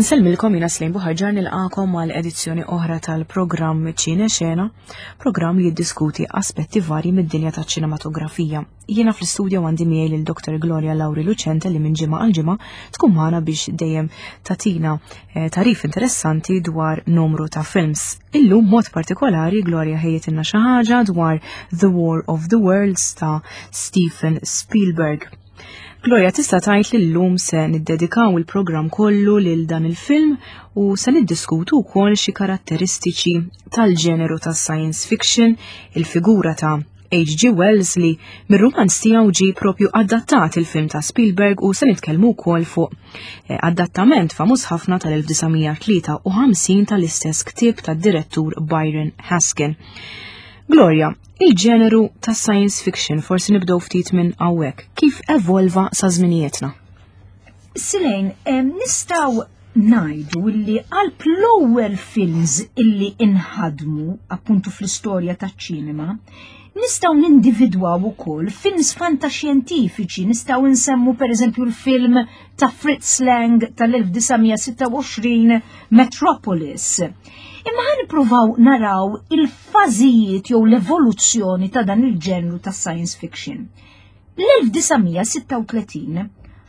Insellmilkom jiena Slejn Buħarġar nilqakom għal edizzjoni oħra tal-programm Ċine Xena, programm li jiddiskuti aspetti varji mid-dinja taċ-ċinematografija. Jiena fl-istudjo għandi miegħi lil Dr. Gloria Lauri Lucente li minn ġimgħa għal ġimgħa tkun magħna biex dejjem tatina eh, tarif interessanti dwar numru ta' films. Illum mod partikolari Gloria ħejjetilna xi ħaġa dwar The War of the Worlds ta' Stephen Spielberg. Gloria, tista' tgħid li llum se niddedikaw il-programm kollu lil dan il-film u se niddiskutu wkoll xi karatteristiċi tal-ġeneru tas science fiction, il-figura ta' H.G. Wells li mir-rumanz tiegħu ġie propju adattat il-film ta' Spielberg u se nitkellmu wkoll fuq eh, adattament famuż ħafna tal-1953 tal-istess ktieb tad-direttur Byron Haskin. Gloria, Il-ġeneru ta' science fiction forsi nibdew ftit minn hawnhekk. Kif evolva sa żminijietna? Silejn, nistgħu ngħidu li għal l-ewwel films illi inħadmu appuntu fl-istorja taċ-ċinema, nistgħu nindividwaw ukoll films fantaxjentifiċi, nistgħu nsemmu pereżempju l-film ta' Fritz Lang tal-1926 Metropolis. Imma ħan nippruvaw naraw il-fażijiet jew l-evoluzzjoni ta' dan il-ġenru ta' science fiction. L-1936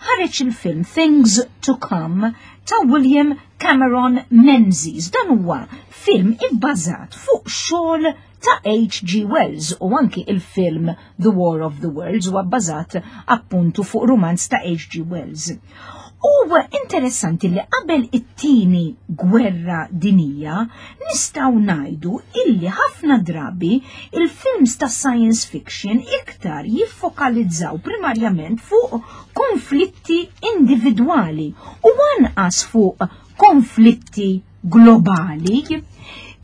ħareġ il-film Things to Come ta' William Cameron Menzies. Dan huwa film ibbażat fuq xogħol ta' H.G. Wells u anki il-film The War of the Worlds huwa bbażat appuntu fuq rumanz ta' H.G. Wells. U interessanti li qabel it-tieni gwerra dinija nistgħu ngħidu illi ħafna drabi il-films ta' science fiction iktar jiffokalizzaw primarjament fuq konflitti individwali u anqas fuq konflitti globali.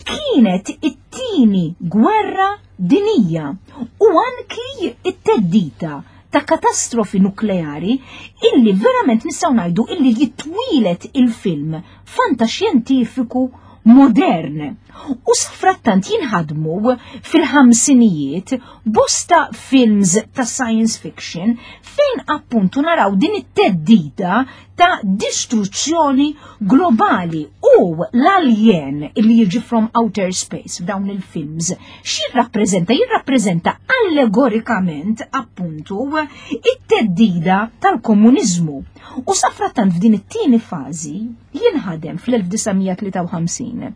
Kienet it-tieni gwerra dinija u anki it-teddita ta' katastrofi nukleari illi verament nistgħu ngħidu illi jitwilet il-film fantaxjentifiku modern. U safrattant jinħadmu fil-ħamsinijiet bosta films ta' science fiction fejn appuntu naraw din it-teddida ta' distruzzjoni globali u l-alien li jiġi from outer space f'dawn il-films x'jirrappreżenta? Jirrappreżenta allegorikament appuntu it-teddida tal-komuniżmu. U safrattant f'din it-tieni fażi jinħadem fl-1953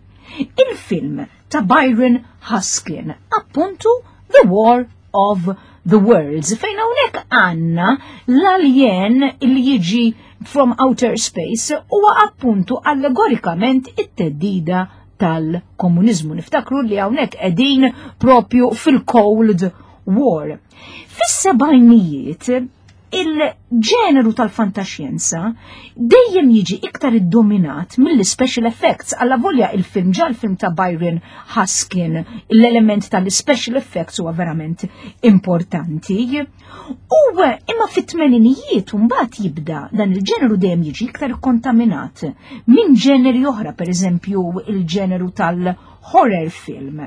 il-film ta' Byron Haskin, appuntu The War of the Worlds, fejn hawnhekk għandna l-alien li jiġi from outer space huwa appuntu allegorikament it-teddida tal-komuniżmu. Niftakru li hawnhekk qegħdin propju fil-Cold War. Fis-sebgħinijiet il-ġeneru tal-fantaxjenza dejjem jiġi iktar iddominat mill-special effects. Alla volja il-film ġa l-film ta' Byron Haskin, l-element tal-special effects huwa verament importanti. U imma fit-tmeninijiet mbagħad jibda dan il-ġeneru dejjem jiġi iktar kontaminat minn ġeneri oħra, pereżempju il-ġeneru tal-horror film.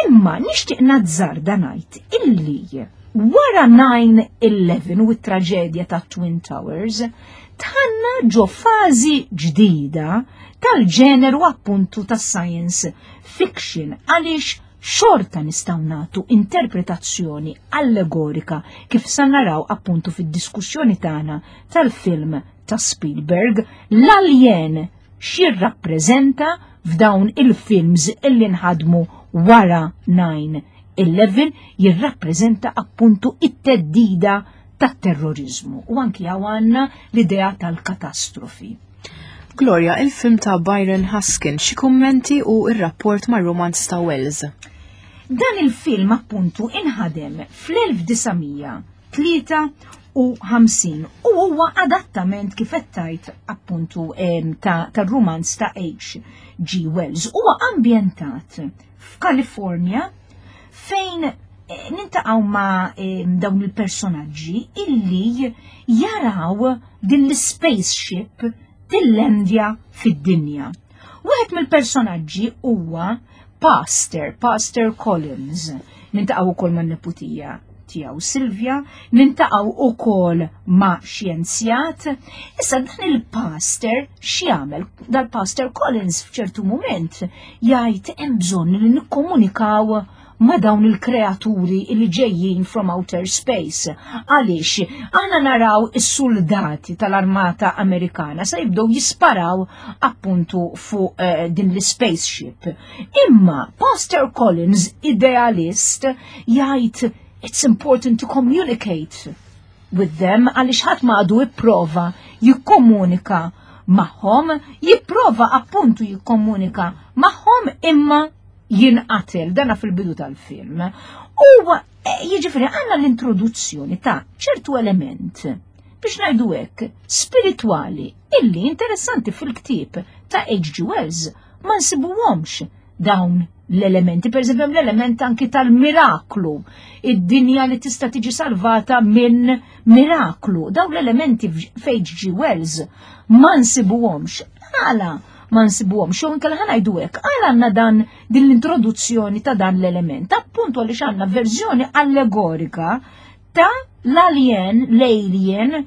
Imma nixtieq nazzarda ngħid illi wara 9-11 u t-traġedja ta' Twin Towers, tħanna ġo fażi ġdida tal-ġeneru appuntu tas science fiction għaliex xorta nistgħu nagħtu interpretazzjoni allegorika kif sa naraw appuntu fid-diskussjoni tagħna tal-film ta' Spielberg l-alien x'jirrappreżenta f'dawn il-films illi nħadmu wara 9-11 jirrappreżenta appuntu it-teddida tat-terrorizmu u anki għandna l-idea tal-katastrofi. Gloria, il-film ta' Byron Haskin, xi kummenti u r-rapport mar-rumanz ta' Wells? Dan il-film appuntu inħadem fl-1953 u huwa adattament kif qed tgħid appuntu tar-rumanz ta' H.G. Wells. Huwa ambjentat f'Kalifornja fejn eh, nintaqgħu ma' dawn il-personaġġi illi jaraw din l-spaceship tillendja fid-dinja. Wieħed mill-personaġġi huwa Pastor, Pastor Collins, nintaqgħu wkoll man-neputija. tiegħu Silvia, nintaqgħu ukoll ma' xjenzjat. Issa dan il-pastor x'jagħmel? Dal-pastor Collins f'ċertu mument jgħid hemm bżonn li nikkomunikaw ma' dawn il-kreaturi li ġejjin from outer space. Għaliex, aħna naraw is-soldati tal-armata Amerikana se jibdew jisparaw appuntu fuq eh, din l-spaceship. Imma Pastor Collins, idealist, jgħid it's important to communicate with them għaliex ħadd ma għadu ipprova jikkomunika magħhom, jipprova appuntu jikkomunika magħhom imma jinqatel dana fil-bidu tal-film. U eh, jiġifieri għandna l-introduzzjoni ta' ċertu element biex ngħidu hekk spiritwali illi interessanti fil-ktieb ta' H.G. Wells ma nsibuhomx dawn l-elementi, per eżempju l-element anki tal-miraklu, id-dinja li tista' tiġi salvata minn miraklu. Dawn l-elementi f'H.G. Wells ma nsibuhomx. Għala ma nsibuhomx, jew inkella ħa ngħidu hekk, għala għandna dan din l-introduzzjoni ta' dan l-element, appuntu għaliex għandna verżjoni allegorika ta' l-alien, l-alien,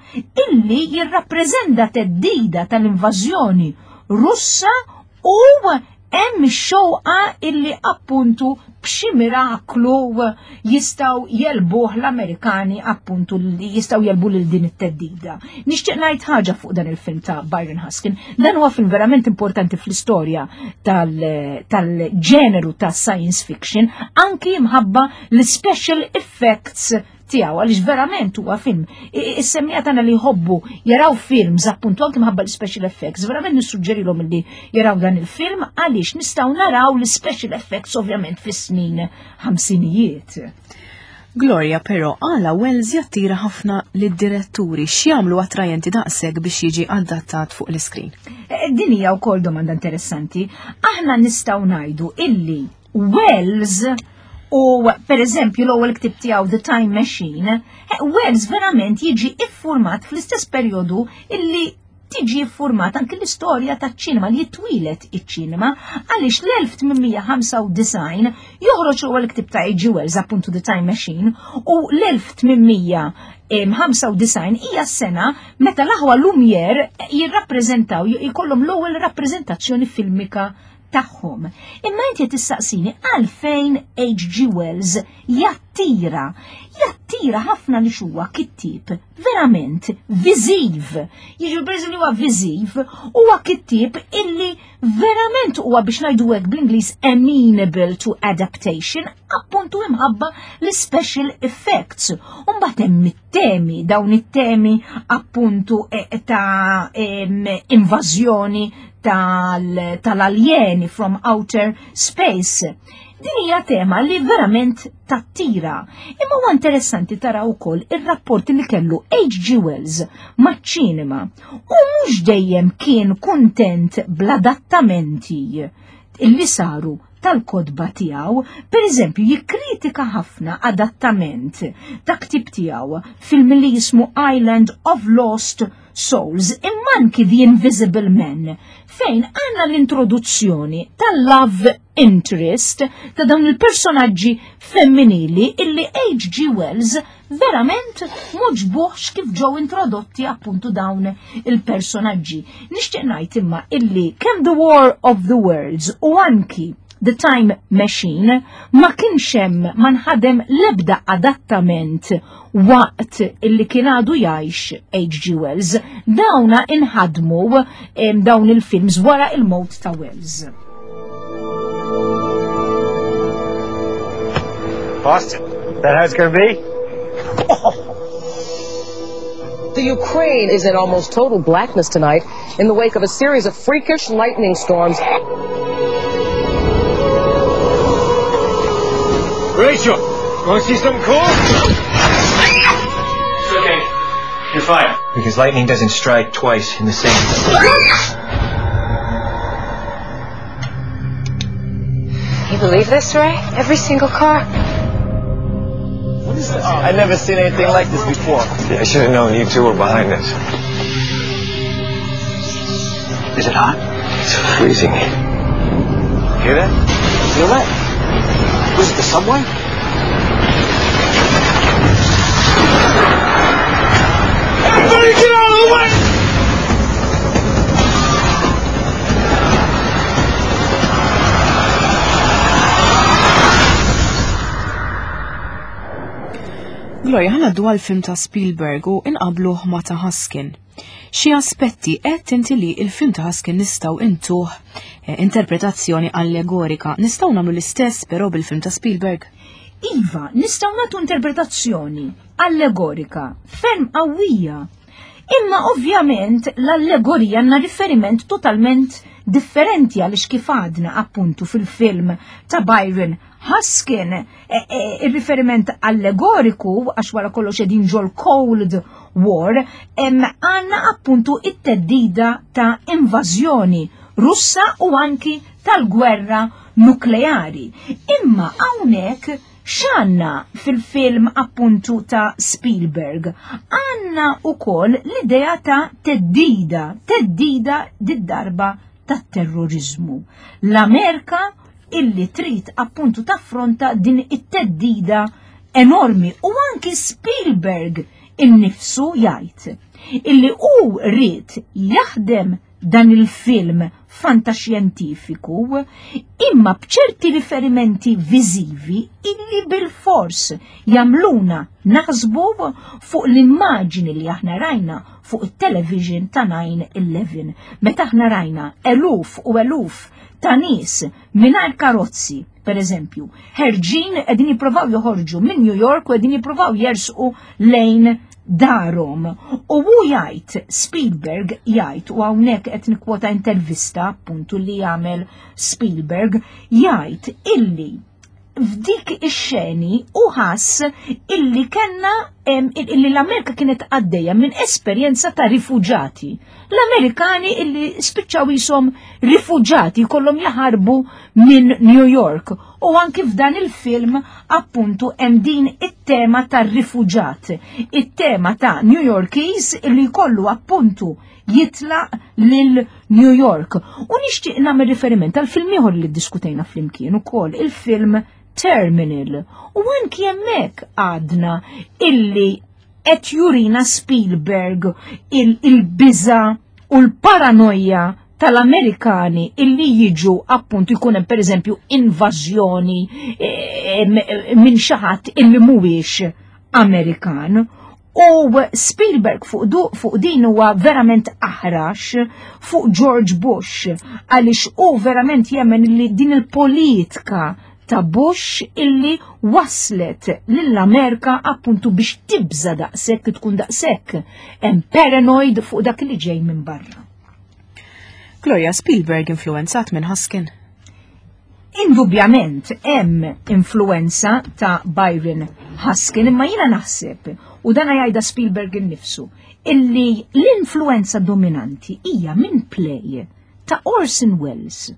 illi jirrappreżenta teddida tal-invażjoni Russa u hemm ix-xewqa illi appuntu b'xi miraklu jistgħu jelbuh l-Amerikani appuntu li jistgħu jelbu lil din it-teddida. Nixtieq ngħid ħaġa fuq dan il-film ta' Byron Haskin. Dan huwa film verament importanti fl-istorja tal-ġeneru ta' science fiction, anki mħabba l-special effects tiegħu għaliex verament huwa film. Is-semmija tagħna li jħobbu jaraw films appuntu anke mħabba l-special effects, verament nissuġġerilhom li jaraw dan il-film għaliex nistgħu naraw l-special effects ovvjament fis-snin ħamsinijiet. Gloria però għala Wells jattira ħafna lid-diretturi x'jagħmlu attrajenti daqshekk biex jiġi adattat fuq l-iskrin. Eh, din hija wkoll domanda interessanti. Aħna nistgħu ngħidu illi Wells u per eżempju l-ewwel ktib tiegħu The Time Machine, eh, Wells verament jiġi iffurmat fl-istess perjodu illi tiġi iffurmat anki l-istorja taċ-ċinema li jitwilet iċ-ċinema għaliex l-1895 joħroġ l-ewwel ktib ta' H.G. Wells appuntu The Time Machine u l-1895 hija s-sena meta l-aħwa Lumière jirrappreżentaw jkollhom l-ewwel rappreżentazzjoni filmika tagħhom. Imma inti qed tistaqsini għalfejn H.G. Wells jattira. Jattira ħafna li huwa kittieb verament viżiv. Jiġu berżu li huwa viżiv, huwa kittieb illi verament huwa biex ngħidu hekk bl-Ingliż amenable to adaptation, appuntu imħabba l-special effects. U mbagħad hemm it-temi, dawn it-temi appuntu eh, ta' invażjoni tal-aljeni from outer space. Din hija tema li verament tattira. Imma huwa interessanti tara wkoll ir-rapport li kellu H.G. Wells maċ-ċinema u mhux dejjem kien kuntent bl-adattamenti illi saru tal-kotba tiegħu, per eżempju, jikkritika ħafna adattament ta' ktib tiegħu film li jismu Island of Lost Souls, imma anki The Invisible Man, fejn għandna l-introduzzjoni tal-love interest ta' dawn il-personaġġi femminili illi H.G. Wells verament m'għoġbuhx kif ġew introdotti appuntu dawn il-personaġġi. Nixtieq ngħid imma illi kemm The War of the Worlds u anki The Time Machine ma kienx hemm ma nħadem l-ebda adattament waqt illi kien għadu jgħix H.G. Wells. Dawna inħadmu dawn il-films wara il-mowt ta' Wells. Boston, that how it's gonna be? The Ukraine is in almost total blackness tonight in the wake of a series of freakish lightning storms. Rachel, you want to see something cool? It's okay. You're fine. Because lightning doesn't strike twice in the same. You believe this, Ray? Every single car? I've never seen anything like this before. Yeah, I should have known you two were behind this. Is it hot? It's freezing. Hear that? Feel that? Was it the subway? Better get out of the way! Gloria, ħana għaddu għal-film ta' Spielberg u inqabluh ma' ta' Huskin. Xi aspetti qed inti li il-film ta' Huskin nistgħu intuh eh, interpretazzjoni allegorika. Nistgħu nagħmlu l-istess però bil-film ta' Spielberg? Iva, nistgħu nagħtu interpretazzjoni allegorika ferm qawwija. Imma ovvjament l-allegorija għandna riferiment totalment differenti għaliex kif għadna appuntu fil-film ta' Byron Haskin, e, e, il-riferiment allegoriku, għax wara kollox edin ġol Cold War, għanna appuntu it-teddida ta' invażjoni Russa u anki tal-gwerra nukleari. Imma hawnhekk x'għandna fil-film appuntu ta' Spielberg? Għandna ukoll l-idea ta' teddida, teddida did-darba tat-terrorizmu. L-Amerika illi trid appuntu taffronta din it-teddida enormi u anki Spielberg innifsu jgħid illi hu ried jaħdem dan il-film fantaxjentifiku imma b'ċerti riferimenti viżivi illi bil-fors jagħmluna naħsbu fuq l-immaġini li aħna rajna fuq it-television ta' 9-11. Meta aħna rajna eluf u eluf ta' nies mingħajr karozzi, per eżempju, ħerġin qegħdin jippruvaw joħorġu minn New York u qegħdin jippruvaw jersqu lejn darhom. U hu jgħid, Spielberg jgħid, u hawnhekk qed nikkwota intervista appuntu li jagħmel Spielberg, jgħid illi f'dik ix-xeni u ħass illi kellna illi l-Amerika kienet għaddejja minn esperjenza ta' rifuġati. L-Amerikani illi spiċċaw jisom rifuġati kollhom jaħarbu minn New York. U anki f'dan il-film appuntu hemm din it-tema tar-rifuġat, it-tema ta' New Yorkies illi jkollu appuntu jitlaq lil New York. U nixtieq nagħmel riferiment għal film ieħor li ddiskutejna flimkien ukoll, il-film Terminal. U anki hemmhekk għadna illi qed jurina Spielberg il-biża u l-paranoja tal-Amerikani illi jiġu appuntu jkun hemm pereżempju invażjoni eh, minn xi ħadd illi mhuwiex Amerikan. U Spielberg fuq, du, fuq din huwa verament aħrax fuq George Bush għaliex hu verament jemmen li din il-politika ta' Bush illi waslet lill-Amerika appuntu biex tibża daqshekk tkun daqshekk hemm paranoid fuq dak li ġej minn barra. Gloria Spielberg influenzat minn Haskin. Indubjament hemm influenza ta' Byron Haskin, imma jiena naħseb, u dana jgħidha Spielberg innifsu, illi l-influenza dominanti hija minn play ta' Orson Welles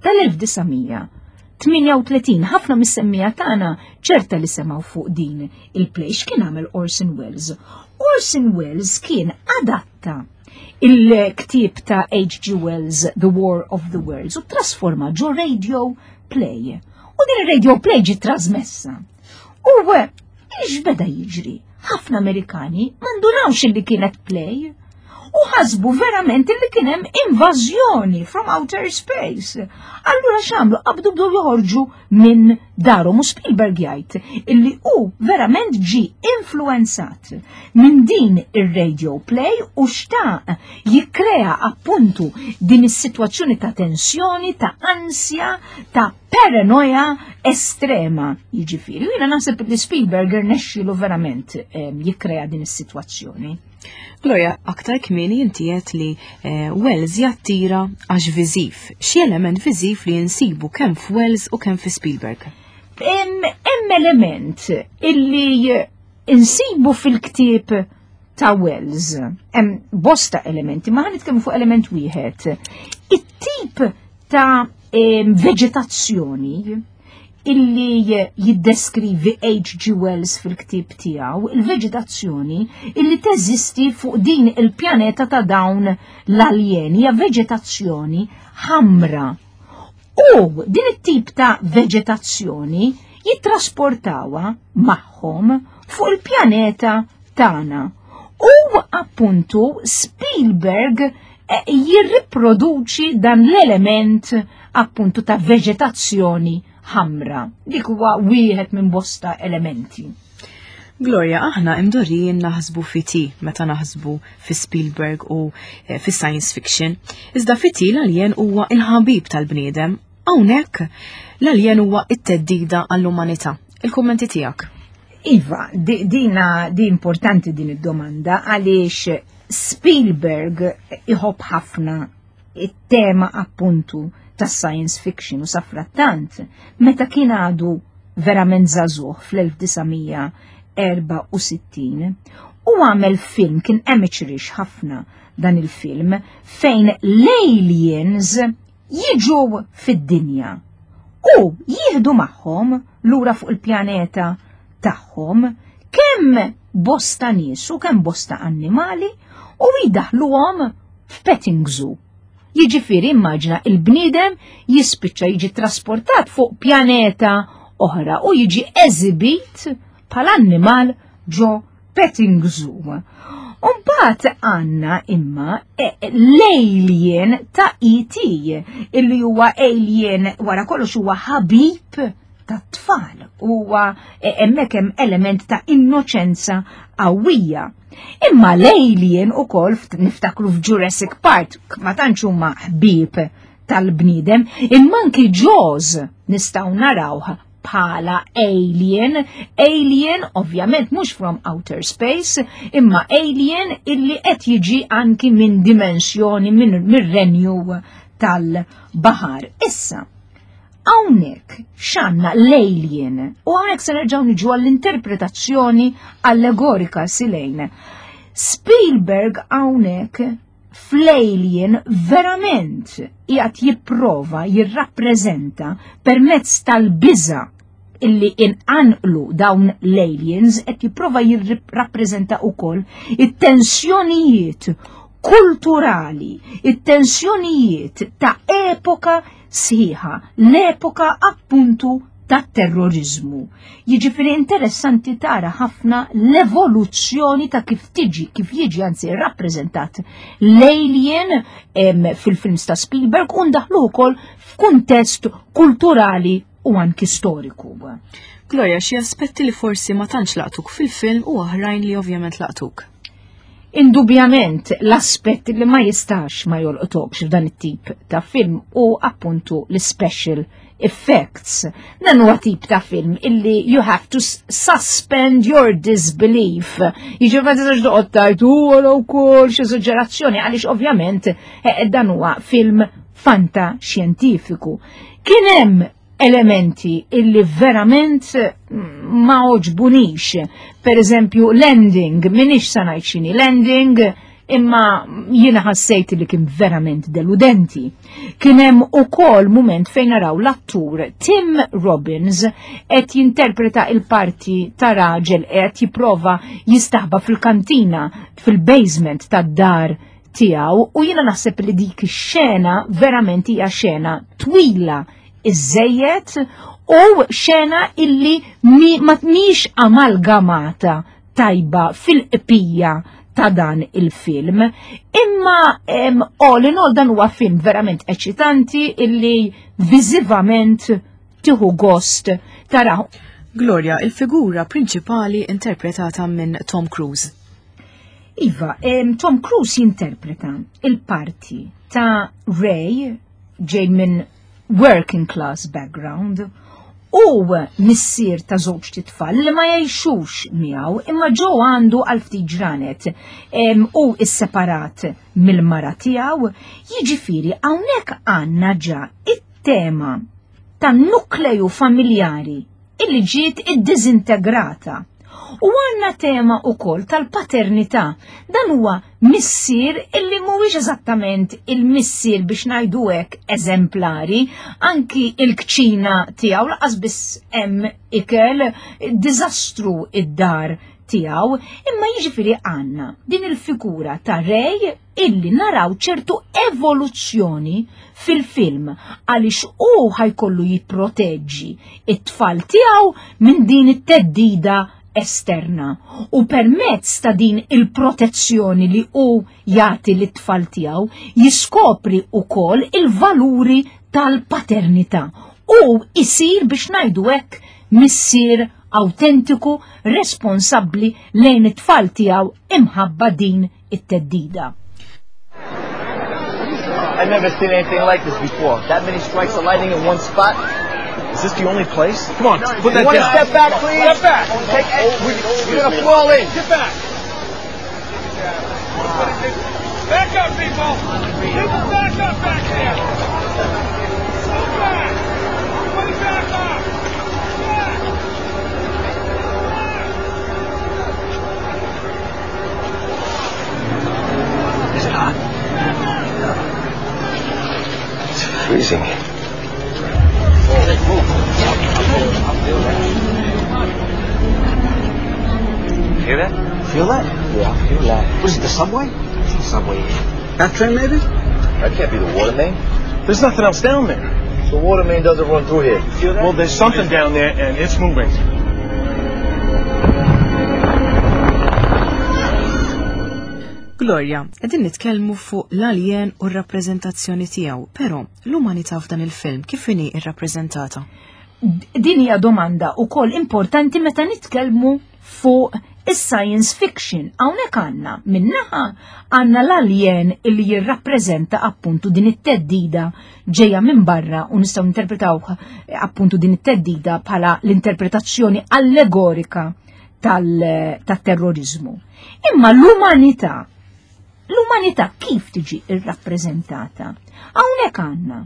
tal-1938. Ħafna mis-semmija tagħna ċerta li semgħu fuq din il-play. X'kien għamel Orson Welles? Orson Welles kien adatta il-ktieb ta' H.G. Wells The War of the Worlds u trasforma ġo radio play. U din il-radio play ġi trasmessa. U eh, x'beda jiġri? Ħafna Amerikani mandunawx li kienet play u ħasbu verament li kien hemm invażjoni from outer space. Allura x'għamlu qabdu bdew joħorġu minn darhom u Spielberg jgħid illi hu verament ġi influenzat minn din ir-radio play u xtaq jikkrea appuntu din is-sitwazzjoni ta' tensjoni, ta' ansja, ta' paranoja estrema. Jiġifieri, jiena naħseb li Spielberg irnexxielu verament eh, jikkrea din is-sitwazzjoni. Gloria, aktar kmieni inti għedt li eh, Wells jattira għax viżiv. Xi element viżiv li jinsibu kemm f'Wells u kemm fi Spielberg? Hemm element illi insibu fil-ktieb ta' Wells. Hemm bosta elementi, ma ħanitkellmu fuq element wieħed. It-tip ta' veġetazzjoni illi jiddeskrivi H.G. Wells fil-ktieb tiegħu, il-veġetazzjoni illi teżisti fuq din il-pjaneta ta' dawn l-aljeni, hija veġetazzjoni ħamra. U din it-tip ta' veġetazzjoni jittrasportawha magħhom fuq il-pjaneta tagħna. U appuntu Spielberg eh, jirriproduċi dan l-element appuntu ta' veġetazzjoni ħamra. Dik huwa wieħed minn bosta elementi. Gloria, aħna imdorrijin naħsbu fi T meta naħsbu fi Spielberg u eh, fi science fiction. Iżda fi T l-alien huwa il-ħabib tal-bniedem. Hawnhekk l-alien huwa it-teddida għall-umanità. Il-kummenti tiegħek. Iva, dina di importanti din id-domanda għaliex Spielberg iħobb ħafna it-tema appuntu tas science fiction u safrattant meta kien għadu verament żagħżugħ fl-1964 u għamel film kien amateurish ħafna dan il-film fejn l-aliens jiġu fid-dinja u jieħdu magħhom lura fuq il-pjaneta tagħhom kemm bosta nies u kemm bosta annimali u jdaħluhom f'petting zoo. Jiġifieri immaġina il-bniedem jispiċċa jiġi trasportat fuq pjaneta oħra u jiġi eżibit bħala annimal ġo petting zoo. Umbat għanna imma e, l-alien ta' E.T. illi huwa alien wara kollox huwa ħabib ta' tfal huwa e, hemmhekk hemm element ta' innoċenza qawwija. Imma l-alien ukoll niftakru f'Jurassic Park ma tantx huma ħbieb tal-bniedem, imma anki Jaws nistgħu narawh bħala alien, alien ovvjament mhux from outer space, imma alien illi qed jiġi anki minn dimensjoni minn mir-renju tal-baħar. Issa, Hawnhekk x'għandna l-alien u hawnhekk se nerġgħu niġu għall-interpretazzjoni allegorika silejn. Spielberg hawnhekk fl-alien verament qiegħed jipprova jirrappreżenta permezz tal-biża' illi inqanqlu dawn l-aliens qed jipprova jirrappreżenta wkoll it-tensjonijiet kulturali, it-tensjonijiet ta' epoka sħiħa, l-epoka appuntu tat-terroriżmu. Jiġifieri interessanti tara ħafna l-evoluzzjoni ta' kif tiġi, kif jiġi anzi rappreżentat l-alien fil-films ta' Spielberg u ndaħlu wkoll f'kuntest kulturali u anki storiku. Gloria, xi aspetti li forsi ma tantx laqtuk fil-film u oħrajn li ovvjament laqtuk? Indubjament l-aspett li ma jistax ma jolqtokx f'dan it-tip ta' film u appuntu l-special effects. Dan huwa tip ta' film illi you have to suspend your disbelief. Jiġifieri ma tistax toqgħod tgħid u wkoll xi eżaġerazzjoni għaliex ovvjament eh, dan huwa film fanta xjentifiku. Kien hemm elementi illi verament mm, ma oġbunix. Per eżempju, landing, minix sa ngħid x'inhi landing, imma jiena ħassejt li kien verament deludenti. Kien hemm ukoll mument fejn naraw l-attur Tim Robbins qed jinterpreta il-parti ta' raġel qed jipprova jistaħba fil-kantina fil-basement tad-dar tiegħu u jiena naħseb li dik ix-xena verament hija xena twila iżejjed u xena illi mi, ma mhix amalgamata tajba fil-qpija ta' dan il-film. Imma all in all dan huwa film verament eċitanti illi viżivament tieħu gost taraw. Gloria, il-figura prinċipali interpretata minn Tom Cruise. Iva, Tom Cruise jinterpreta il-parti ta' Ray ġej minn working class background u missier ta' żewġ titfal li ma jgħixux miegħu imma ġew għandu għal ftit ġranet u isseparat mill-mara tiegħu, jiġifieri hawnhekk għandna ġa it-tema tan-nukleju familjari illi ġiet iddiżintegrata. U għandna tema wkoll tal-paternità. Dan huwa missier illi mhuwiex eżattament il-missier biex ngħidu hekk eżemplari, anki il-kċina tiegħu laqas biss hemm ikel diżastru id-dar tiegħu, imma jiġifieri għandna din il-figura ta' Rej illi naraw ċertu evoluzzjoni fil-film għaliex hu ħajkollu jipproteġġi it-tfal tiegħu minn din it-teddida esterna u permezz ta' din il-protezzjoni li hu jagħti lit-tfal tiegħu jiskopri wkoll il-valuri tal-paternità u isir biex ngħidu hekk missier awtentiku responsabbli lejn it-tfal tiegħu imħabba din it-teddida. I've never seen anything like this before. That many strikes of lightning in one spot. Is this the only place? Come on, put that down. Step back, please? Step back. Take, we're gonna fall in. Get back. Back up, people! People, back up back there! Move back! Everybody back up! Back! Is it hot? No. It's freezing. Hear that? Feel that? Yeah, I feel that. What is it, the subway? It's the subway. That train, maybe? That can't be the water main. There's nothing else down there. The water main doesn't run through here. Feel that? Well, there's something down there, and it's moving. Gloria, qegħdin nitkellmu fuq l-alien u r-rappreżentazzjoni tiegħu, però l-umanità f'dan il-film kif inhi rrappreżentata? Din hija domanda wkoll importanti meta nitkellmu fuq is-science fiction. Hawnhekk għandna minnaħa għandna l-alien illi jirrappreżenta appuntu din it-teddida ġejja minn barra u nistgħu interpretaw appuntu din it-teddida bħala l-interpretazzjoni allegorika tal-terrorizmu. Imma l-umanità, l-umanità kif tiġi irrappreżentata? Hawnhekk għandna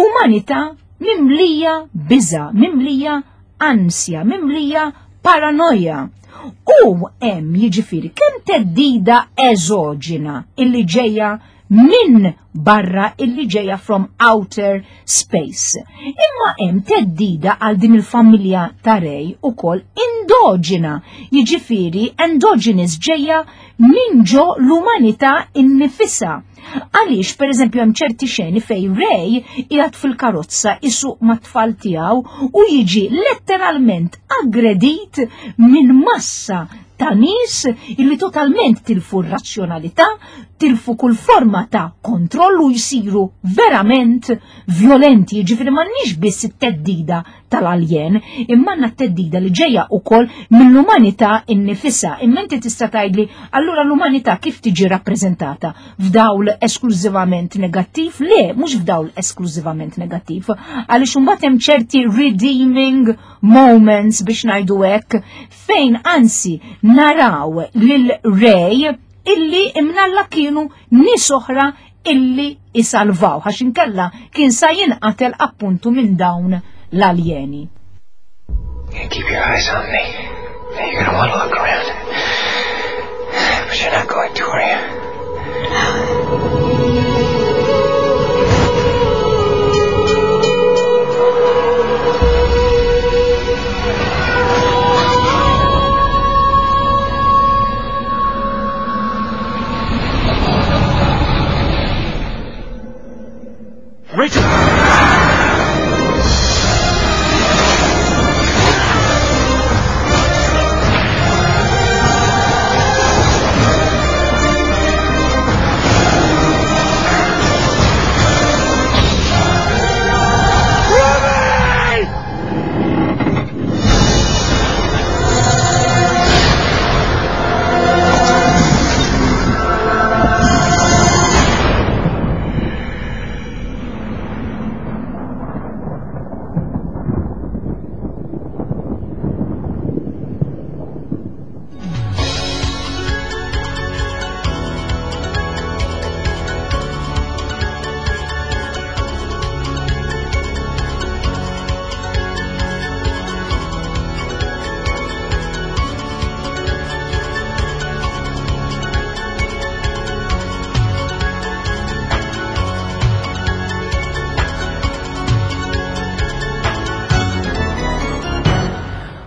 umanità mimlija biża, mimlija ansja, mimlija paranoja. U hemm jiġifieri kemm teddida eżoġina illi ġejja minn barra illi ġejja from outer space. Imma hemm teddida għal din il-familja ta' Rej ukoll indoġina, jiġifieri endogenous ġejja minn ġo l-umanità innifisha. Għaliex, per eżempju, hemm ċerti xeni fej Ray qiegħed fil-karozza isuq mat-tfal tiegħu u jiġi letteralment aggredit minn massa ta' nies illi totalment tilfu r-razzjonalità, tilfu kull forma ta' kontroll u jsiru verament violenti, jiġifieri m'għandniex biss it-teddida tal-aljen, imma għandna t-teddida li ġejja wkoll mill-umanità innifisha. Imma inti tista' tgħidli allura l-umanità kif tiġi rappreżentata? F'dawl esklużivament negattiv? Le, mhux f'dawl esklużivament negattiv, għaliex imbagħad hemm ċerti redeeming moments biex ngħidu hekk fejn anzi naraw lil Ray illi imnalla kienu nies oħra illi isalvaw għax inkella kien sa jinqatel appuntu minn dawn l-aljeni. Keep your eyes on me. You're gonna want to look around. But you're not going to, are you? Rachel!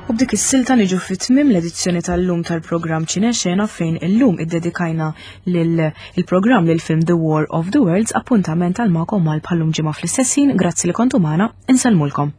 U b'dik is-silta niġu fit-tmiem l-edizzjoni tal-lum tal-programm Ċinexena fejn illum iddedikajna il-programm lil film The War of the Worlds appuntament għal magħkom mal bħallum ġimgħa fl-istess ħin, grazzi li kontu magħna, insellmulkom.